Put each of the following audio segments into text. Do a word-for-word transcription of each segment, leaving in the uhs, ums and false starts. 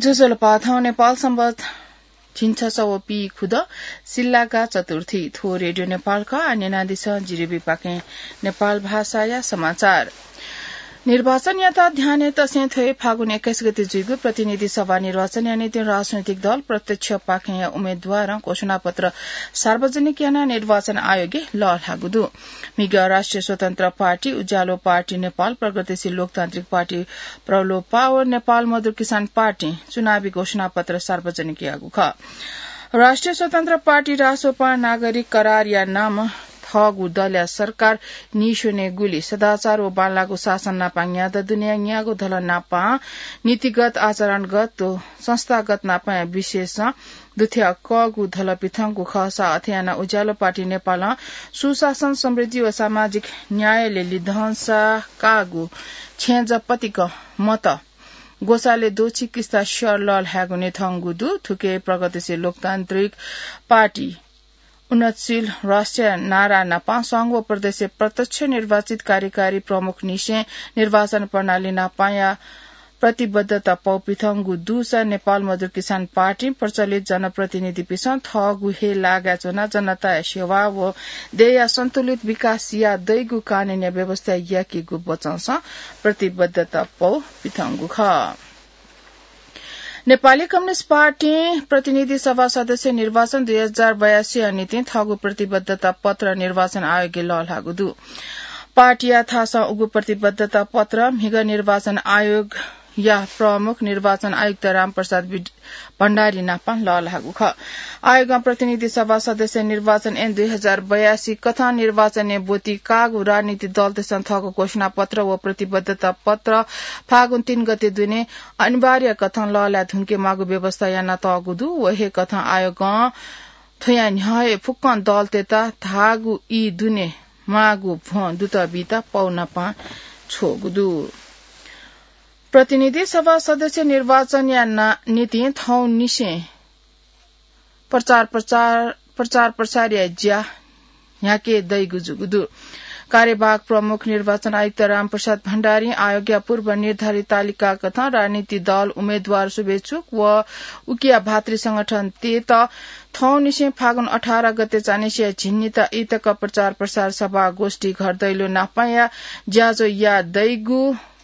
ज्वजलपा, थौं नेपाल संवत झिंछसः व पीखुदँ सिल्लागा चतुर्थी। थ्व रेडियो नेपाल खः। आः न्यनादिसँ जिरिबीपाखें नेपाल भाषाया समाचार। निर्वाचनयात ध्यानय् तसें थ्व हे फागुन एक्काइस गते जुइगु प्रतिनिधि सभा निर्वाचनया निंतिं राजनैतिक दल प्रत्यक्ष पाखेंया उम्मेदवारं घोषणापत्र सार्वजनिक यानाः निर्वाचन आयोगय् लःल्हाःगु दु। म्हिगः राष्ट्रिय स्वतन्त्र पार्टी, उज्यालो पार्टी नेपाल, प्रगतिशील लोकतान्त्रिक पार्टी प्रलोभा व नेपाल मजदुर किसान पार्टीं चुनावी घोषणापत्र सार्वजनिक याःगु खः। राष्ट्रिय स्वतन्त्र पार्टी रासोपां नागरिक करारया नामं थःगु दलया सरकार नीस्वनेगुली सदाचार व बांलाःगु शासन नापं न्यादँ दुनेया न्यागू धलः नापं नीतिगत, आचरणगत व संस्थागत नापंया विशेषं दुथ्याः कःगु धलः पिथंगु खःसा अथे यानाः उज्यालो पार्टी नेपालं सुशासन, समृद्धि व सामाजिक न्यायलय् लिधंसा काःगु छेँजः पतिकं मत ग्वसालय् द्वःछि किस्ता स्यः लःल्हायेगु न्ह्यथंगु दु। थुकी प्रगतिशील लोकतान्त्रिक पार्टी उन्नतशील राष्ट्रया नारा नापं संघ व प्रदेशय् प्रत्यक्ष निर्वाचित कार्यकारी प्रमुखनिसें निर्वाचन प्रणाली नापंया प्रतिबद्धता पौ पिथंगु दुसा नेपाल मजदुर किसान पार्टीं प्रचलित जनप्रतिनिधिपिसं थःगु हे लागाय् च्वनाः जनताया सेवा व देय्‌या सन्तुलित विकास याये दइगु कानूनया व्यवस्था याकेगु बचंसं प्रतिबद्धता पौ पिथंगु खः। नेपाली कम्युनिस्ट पार्टीं प्रतिनिधि सभा सदस्य निर्वाचन दुई हजार बयासीया निंतिं थःगु प्रतिबद्धता पत्र निर्वाचन आयोगय् लःल्हाःगु दु। पार्टीया थासं उगु प्रतिबद्धता पत्र म्हिगः निर्वाचन आयोगया प्रमुख निर्वाचन आयुक्त रामप्रसाद विड-, भण्डारी नापं लःल्हाःगु खः। आयोगं प्रतिनिधि सभा सदस्य निर्वाचन ऐन दुई हजार बयासी कथं निर्वाचनय् ब्वति काःगु राजनीतिक दलतय्‌सं थःगु घोषणापत्र व प्रतिबद्धता पत्र फागुन तीन गते दुने अनिवार्य कथं लःल्हाये धुंकेमाःगु व्यवस्था यानातःगु दु। व हे कथं आयोगं थ्वया न्ह्यः हे फुक्कं दलतय्‌त धाःगु ई दुने माःगु भ्वं दुतः बीत पौ नापं छ्वःगु दु। प्रतिनिधि सभा सदस्य निर्वाचनया ना-, निंतिं थौंनिसें प्रचार, प्रचार, प्रचार प्रसारया ज्या न्ह्याके दइगु जूगु दु। कार्यवाहक प्रमुख निर्वाचन आयुक्त रामप्रसाद भण्डारीं आयोगया पूर्व निर्धारित तालिका कथं राजनीतिक दल, उम्मेदवार, शुभेच्छुक व उकिया भातृ संगठनतय्‌त थौंनिसें फागुन अठार गते चान्हय्‌सिया झिंनिता इतक प्रचार प्रसार सभा, गोष्ठी, घर दैलो नापंया ज्याझ्वः याये दइगु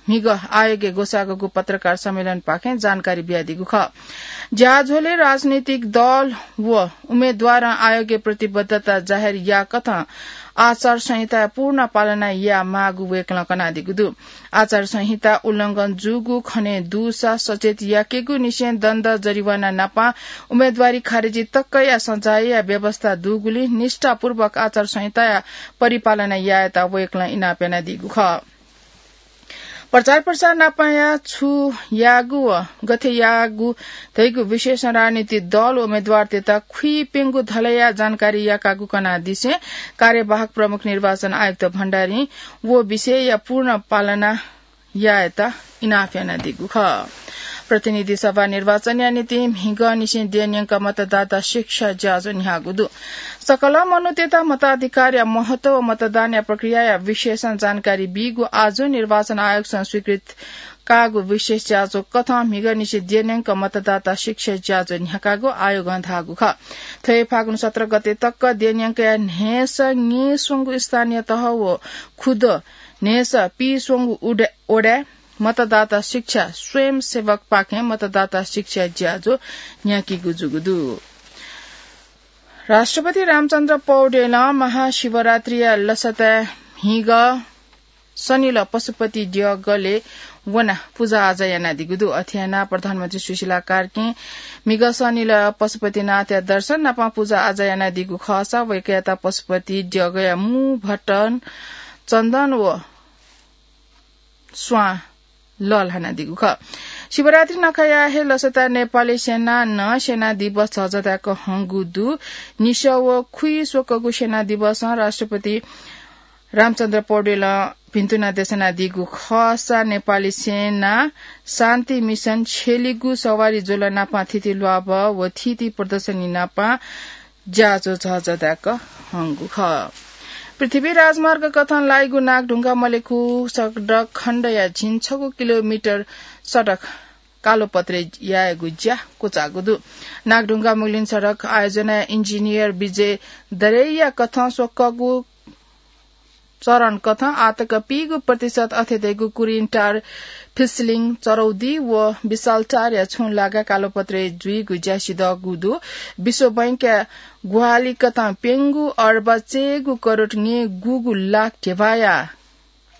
म्हिगः आयोगय् ग्वसाःगु पत्रकार सम्मेलनपाखें जानकारी बियादीगु खः। ज्याझ्वलय् राजनीतिक दल व उम्मेदवारं आयोगय् प्रतिबद्धता जाहेर याःकथं आचार संहिताया पूर्ण पालना यायेमाःगु वय्‌कलं कनादीगु दु। आचार संहिता उल्लंघन जूगु खने दुसा सचेत याकेगु निसें दण्ड, जरिवाना नापं उम्मेदवारी खारेजी तकया सजायया व्यवस्था दुगुलिं निष्ठापूर्वक आचार संहिताया परिपालना यायेत वय्‌कलं इनाप यानादीगु खः। प्रचार प्रसार नापंया छु याःगु व गथे याःगु धइगु विषयसं राजनीतिक दल व उम्मेदवारतय्‌त खुइप्यंगु धलया जानकारी याकागु कनादिसें कार्यवाहक प्रमुख निर्वाचन आयुक्त भण्डारीं व विषयया पूर्ण पालना यायेत इनाप यानादीगु खः। प्रतिनिधि सभा निर्वाचनया निंतिं म्हिगःनिसें द्यः न्यंक मतदाता शिक्षा ज्याझ्वः न्ह्याःगु दु। सकल मनूतय्‌त मताधिकारया महत्व व मतदानया प्रक्रियाया विषयसं जानकारी बीगु आजु निर्वाचन आयोगसं स्वीकृत काःगु विशेष ज्याझ्वः कथं म्हिगःनिसें द्यः न्यंक मतदाता शिक्षा ज्याझ्वः न्ह्याकागु आयोगं धाःगु खः। थ्व हे फागुन सत्र गते तक द्यः न्यंकया न्हय्‌सः न्येस्वंगु स्थानीय तह व खुदँ न्हय्‌सः पीस्वंगु उडे-, ओडाय् मतदाता शिक्षा स्वयंसेवकपाखें मतदाता शिक्षा ज्याझ्वः न्ह्याकीगु जूगु दु। राष्ट्रपति रामचन्द्र पौडेलं महाशिवरात्रिया लसताय् म्हिगः शनिलः पशुपति द्यःगलय् वनाः पुजाआजा यानादीगु दु। अथे यानाः प्रधानमन्त्री सुशीला कार्कीं म्हिगः शनिलः पशुपतिनाथया दर्शन नापं पुजाआजा यानादीगु खःसा वय्‌कःयात पशुपति द्यःगया मू भट्टन, चन्दन व स्वां लःल्हानादीगु खः। शिवरात्रि नखःया हे लसताय् नेपाली सेनां नं सेना दिवस झःझः धायेक हंगु दु। निसः व खुइस्वकःगु सेना दिवसं राष्ट्रपति रामचन्द्र पौडेलं भिन्तुना देछानादीगु खःसा नेपाली सेनां शान्ति मिसन छ्यलीगु सवारी ज्वलं नापं थीथी ल्वाभः व थीथी प्रदर्शनी नापं ज्याझ्वः झःझः धायेक हंगु खः। पृथ्वी राजमार्ग कथं लाइगु नागढुङ्गा मलेखु सडक खण्डया झिंछगू किलोमिटर सडक कालोपत्रे यायेगु ज्या क्वचाःगु दु। नागढुङ्गा मुगलिन सडक आयोजनाया इन्जिनियर विजय दरेया कथं स्वकःगु चरण कथं आतक पीगु प्रतिशत अथे धइगु कुरिन टार, फिसलिङ, चरौदी व विशाल टारया छुं लागा कालोपत्रे जुइगु ज्या सिधःगु दु। विश्व बैंकया ग्वाहालि कथं प्यंगु अर्ब चय्गु करोड न्यय्गूगु लाख ध्यबाया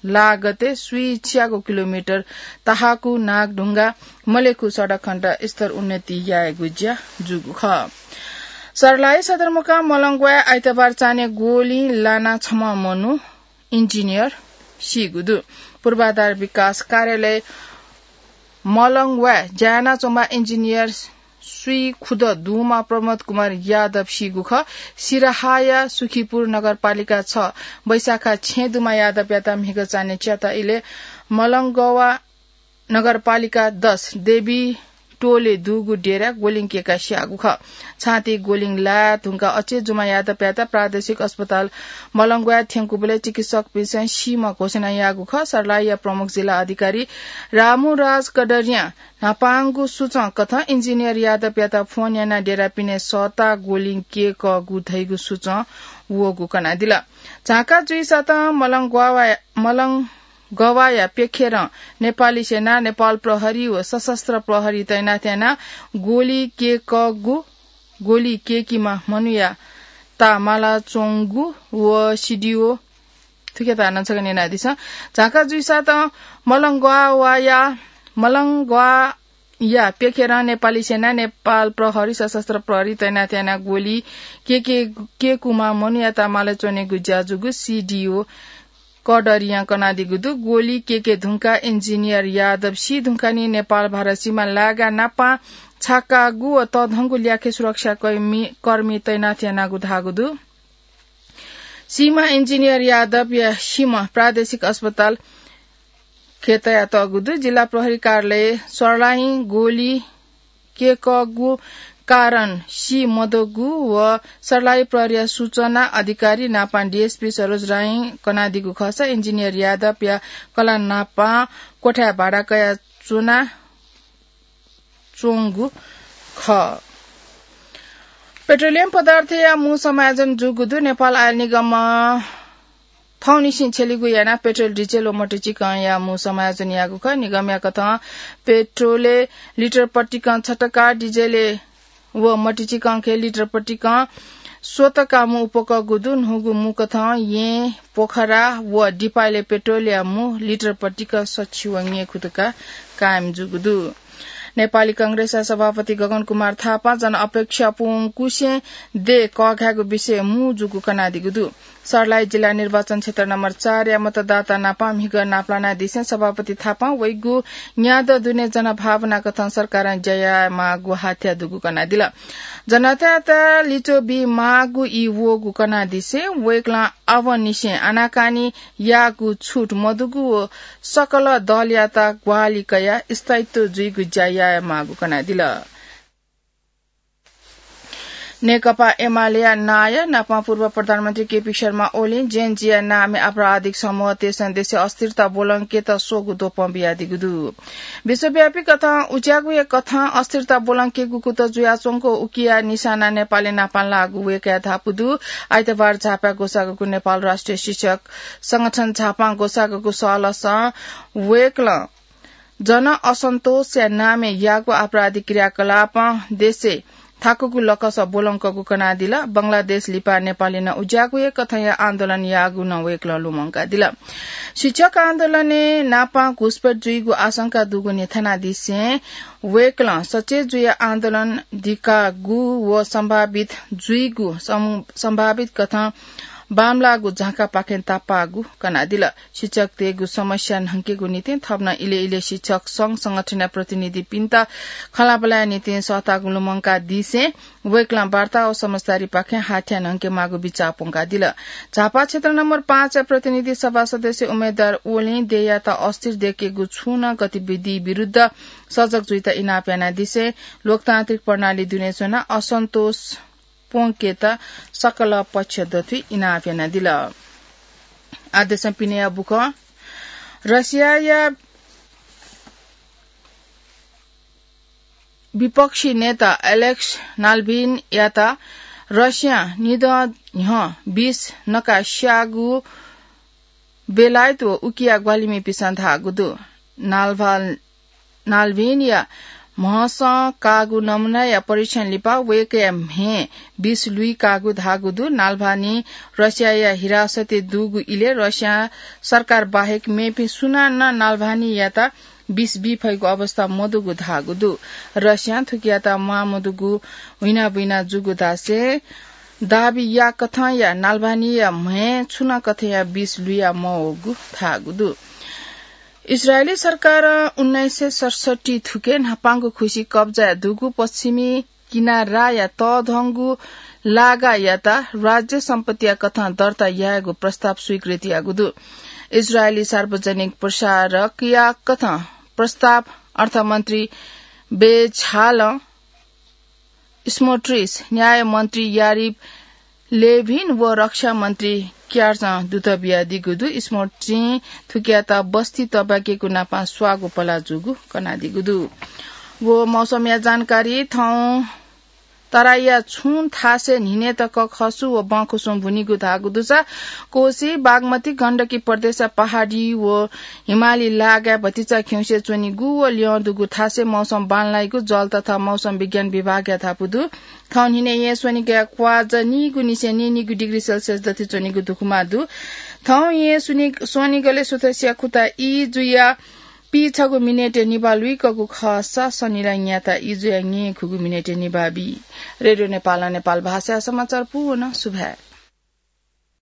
लागतय् स्वीच्यागु किलोमिटर तहाकू नागढुङ्गा मलेखु सडक खण्ड स्तर उन्नति यायेगु ज्या जूगु खः। सर्लाही सदरमुकाम मलंग्वाय् आइतबार चान्हय् गोलिं लाना छम्ह मनू इन्जिनियर सीगु दु। पूर्वाधार विकास कार्यालय मलंग्वाय् ज्या यानाच्वंम्ह इन्जिनियर स्वीखुद दुम्ह प्रमोद कुमार यादव सीगु खः। सिराहाया सुखीपुर नगरपालिका छ बैशाखा छेँ दुम्ह यादवयात म्हिगः चान्हय् च्यात इलय् मलंगवा नगरपालिका दस देवी टोले दुगु डेरा गोलिङ केका स्याःगु खः। छाती गोलिङ लाये धुंका अचे जुम्ह यादवयात प्रादेशिक अस्पताल मलंग्वाय् थ्यंकूबलय् चिकित्सकपिन्सं सीम्ह घोषणा याःगु खः। सर्लाहीया प्रमुख जिल्ला अधिकारी रामुराज कडरियां न्हापांगु सूचं कथं इन्जिनियर यादवयात फोन यानाः डेरा पिने सःताः गोलिङ केकःगु धइगु सूचं वःगु कनादिल। झांका जुइसातं मलंग्वावा-, मलंगवाया प्यखेरं नेपाली सेना, नेपाल प्रहरी व सशस्त्र प्रहरी तैनाथ यानाः गोली केकःगु, गोली केकीम्ह मनूया ताः माला च्वंगु व सिडिओ थुकियात हानं छकः न्यनादिसँ। झांका जुइसातं मलंग्वावाया, मलंग्वाया प्यखेरं नेपाली सेना, नेपाल प्रहरी, सशस्त्र प्रहरी तैनाथ यानाः गोली केके, केकूम्ह मनूया ताः माला च्वनेगु ज्या जूगु सिडिओ कडरियां कनादीगु दु। गोली केके धुंकाः इन्जिनियर यादव सी धुंकाः निं नेपाल भारत सीमा लागा नापां छाकागु व तःधंगु ल्याखय् सुरक्षा कर्मी, कर्मी तैनाथ यानागु धाःगु दु। सीम्ह इन्जिनियर यादवया सीम्ह प्रादेशिक अस्पताल खय् तयातःगु दु। जिल्ला प्रहरी कार्यालय सर्लाहीं गोली केकःगु कारण सी मदुगु व सर्लाही प्रहरीया सूचना अधिकारी नापां डिएसपी सरोज राईं कनादीगु खःसा इन्जिनियर यादवया कलाः नापां क्वथाय् भाडा कयाः च्वना च्वंगु खः। पेट्रोलियम पदार्थया मू समायोजन जूगु दु। नेपाल आयल निगमं थौंनिसें छ्यलिगु यानाः पेट्रोल, डिजेल व मटुचिकंया मू समायोजन याःगु खः। निगमया कथं पेट्रोलय् लिटर पतिकं छ टका, डिजेलय् व मटुचिकंखय् लिटर पतिकं स्वतका मू उपकःगु दु। न्हूगु मू कथं येँ, पोखरा व दिपाय्‌लय् पेट्रोलया मू लिटर पतिकं सछि व न्यय्खु तका कायम जूगु दु। नेपाली कांग्रेसया सभापति गगन कुमार थापां जनअपेक्षा पूवंकुसें देय् कःघायेगु विषय मू जूगु कनादीगु दु। सर्लाही जिल्ला निर्वाचन क्षेत्र नम्बर चारया मतदाता नापं म्हिगः नापलानादिसें सभापति थापां वइगु न्यादँ दुने जनभावना कथं सरकारं ज्या यायेमाःगु हाथ्या दुगु कनादिल। जनतायात लिच्वः बीमाःगु ई वःगु कनादिसें वय्‌कलं आवंनिसें आनाकानी याःगु छुट मदुगु व सकल दलयात ग्वाहालि कयाः स्थायित्व जुइगु ज्या यायेमाःगु कनादिल। नेकपा एमालेया नायः नापं पूर्व प्रधानमन्त्री केपी शर्मा ओलीं जेनजीया नामय् आपराधिक समूहतय्‌सं देशय् अस्थिरता ब्वलंकेत स्वःगु द्वपं बियादीगु दु। विश्वव्यापी कथं उज्याःगुया कथं अस्थिरता ब्वलंकेगु कुतः जुयाच्वंगु उकिया निशाना नेपालय् नापं लाःगु वय्‌कःया धापू दु। आइतबार झापाय् ग्वसाःगु नेपाल राष्ट्रिय शिक्षक संगठन झापां ग्वसाःगु सहलहसं वय्‌कलं जनअसन्तोषया नामय् याःगु आपराधिक क्रियाकलापं देशय् थाकुगु लकस ब्वलंकःगु कनादिल। बंगलादेश लिपा नेपालय् नं उज्याःगु हे कथंया आन्दोलन याःगु नं वय्‌कलं लुमंकादिल। शिक्षक आन्दोलनय् नापं घुसपैठ जुइगु आशंका दुगु न्ह्यथनादिसें वय्‌कलं सचेत जुयाः आन्दोलन दिकागु व सम्भावित जुइगु सं-, सम्भावित कथं बांमलाःगु झांकापाखें तापाःगु कनादिल। शिक्षकतय्‌गु समस्या न्हंकेगु निंतिं थप नं इलय् इलय् शिक्षक संघ संगठनया प्रतिनिधिपिन्त खँल्हाबल्हाया निंतिं सःतागु लुमंकादिसें वय्‌कलं वार्ता व समझदारीपाखें हाथ्या न्हंकेमाःगु बिचाः प्वंकादिल। झापा क्षेत्र नम्बर पाँचया प्रतिनिधि सभा सदस्य उम्मेदवार ओलीं देय्‌यात अस्थिर देय्‌केगु छुं नं गतिविधि विरुद्ध सजग जुइत इनाप यानादिसें लोकतान्त्रिक प्रणाली दुने च्वनाः असन्तोष प्वंकेत सकल पक्ष दथुइ इनाप यानादिल। आदेशं पिनेया बुखँ। रसियाया विपक्षी नेता एलेक्स नाल्भिनयात रसियां निदँ न्ह्यः विष नका स्याःगु बेलायत व उकिया ग्वाहालिमिपिसं धाःगु दु। नाल्भा-, नाल्भिनया म्हसं काःगु नमुनाया परीक्षण लिपा वय्कःया म्हय् विष लुइकाःगु धाःगु दु। नाल्भानी रसियाया हिरासतय् दुगु इलय् रसिया सरकार बाहेक मेपिं सुनानं नाल्भानीयात विष बी फइगु अवस्था मदुगु धाःगु दु। रसियां थुकियात म्वाःमदुगु हुइनाबुइना जूगु धासें दाबी याकथंया नाल्भानीया म्हय् छुं नं कथंया विष लुया मवःगु धाःगु दु। इस्रायली सरकारं उन्नाइस सय सतसट्ठी थुके न्हापांगु खुसि कब्जाय् दुगु पश्चिमी किनाराया तःधंगु लागायात राज्य सम्पत्तिया कथं दर्ता यायेगु प्रस्ताव स्वीकृत याःगु दु। इस्रायली सार्वजनिक प्रसारकया कथं प्रस्ताव अर्थमन्त्री बेझालं स्मोट्रिच, न्यायमन्त्री यारिभ लेभिन व रक्षा मन्त्री क्यार्चं दूत बियादीगु दु। स्मोट्रिचं थुकियात बस्ती तबाकेगु नापं स्वाःगु पला जूगु कनादीगु दु। व मौसमया जानकारी। थौं तराईया छुं थासय् न्हिनय् तक खसु व बँखुसुं भुनीगु धाःगु दुसा कोशी, बागमती, गण्डकी प्रदेशया पहाडी व हिमाली लागाय् भतिचा खिउँसे च्वनीगु व ल्यं दुगु थासय् मौसम बांलाइगु जल तथा मौसम विज्ञान विभागया धापू दु। थौं न्हिनय् येँ स्वनिगलय् क्वाःजा नीगु निसें नीनिगु डिग्री सेल्सियस दथुइ च्वनीगु दुखुमा दु। थौं येँ स्वनिगलय् सुथसिया खुता ई जुया पीछगू मिनेटय् निभाः लुइकूगु खःसा सनिलय् न्याता ई जुया न्येखुगू मिनेटय् निभाः बी। रेडियो नेपालं नेपाल भाषाया समाचार पूवन सुभाय्।